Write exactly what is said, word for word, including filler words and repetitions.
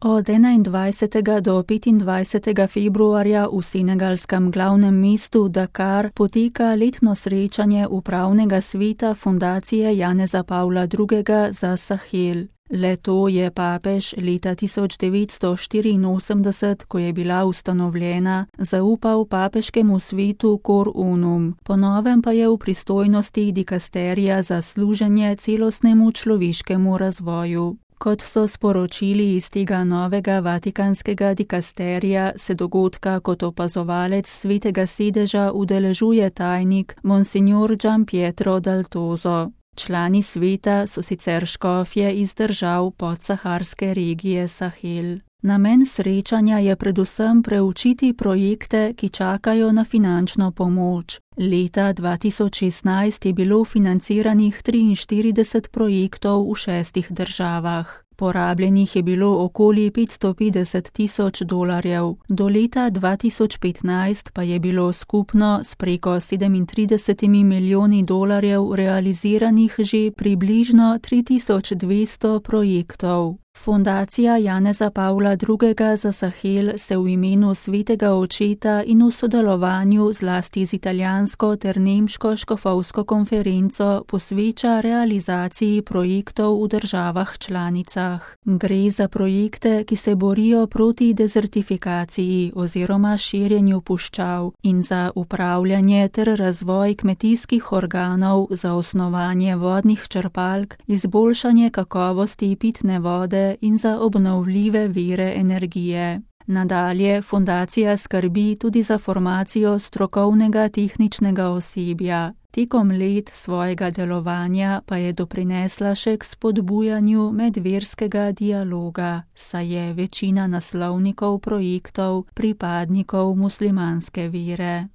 Od enaindvajsetega do petindvajsetega februarja v senegalskem glavnem mestu Dakar poteka letno srečanje upravnega sveta fundacije Janeza Pavla drugega za Sahel. Le-to je papež leta tisoč devetsto štiriinosemdeset, ko je bila ustanovljena, zaupal papeškemu svetu Cor Unum, po novem pa je v pristojnosti dikasterija za služenje celostnemu človeškemu razvoju. Kot so sporočili iz tega novega vatikanskega dikasterija, se dogodka kot opazovalec svetega sedeža udeležuje tajnik Monsignor Gianpietro Daltozo. Člani sveta so sicer škofje iz držav podsaharske regije Sahel. Namen srečanja je predvsem preučiti projekte, ki čakajo na finančno pomoč. Leta dva tisoč šestnajst je bilo financiranih triinštirideset projektov v šestih državah. Porabljenih je bilo okoli petsto petdeset tisoč dolarjev, do leta dva tisoč petnajst pa je bilo skupno s preko sedemintridesetimi milijoni dolarjev realiziranih že približno tri tisoč dvesto projektov. Fundacija Janeza Pavla drugega za Sahel se v imenu svetega očeta in v sodelovanju zlasti z italijansko ter nemško škofovsko konferenco posveča realizaciji projektov v državah članicah. Gre za projekte, ki se borijo proti dezertifikaciji oziroma širjenju puščav in za upravljanje ter razvoj kmetijskih organov za osnovanje vodnih črpalk, izboljšanje kakovosti pitne vode in za obnovljive vire energije. Nadalje fundacija skrbi tudi za formacijo strokovnega tehničnega osebja. Tekom let svojega delovanja pa je doprinesla še k spodbujanju medverskega dialoga, saj je večina naslovnikov projektov pripadnikov muslimanske vere.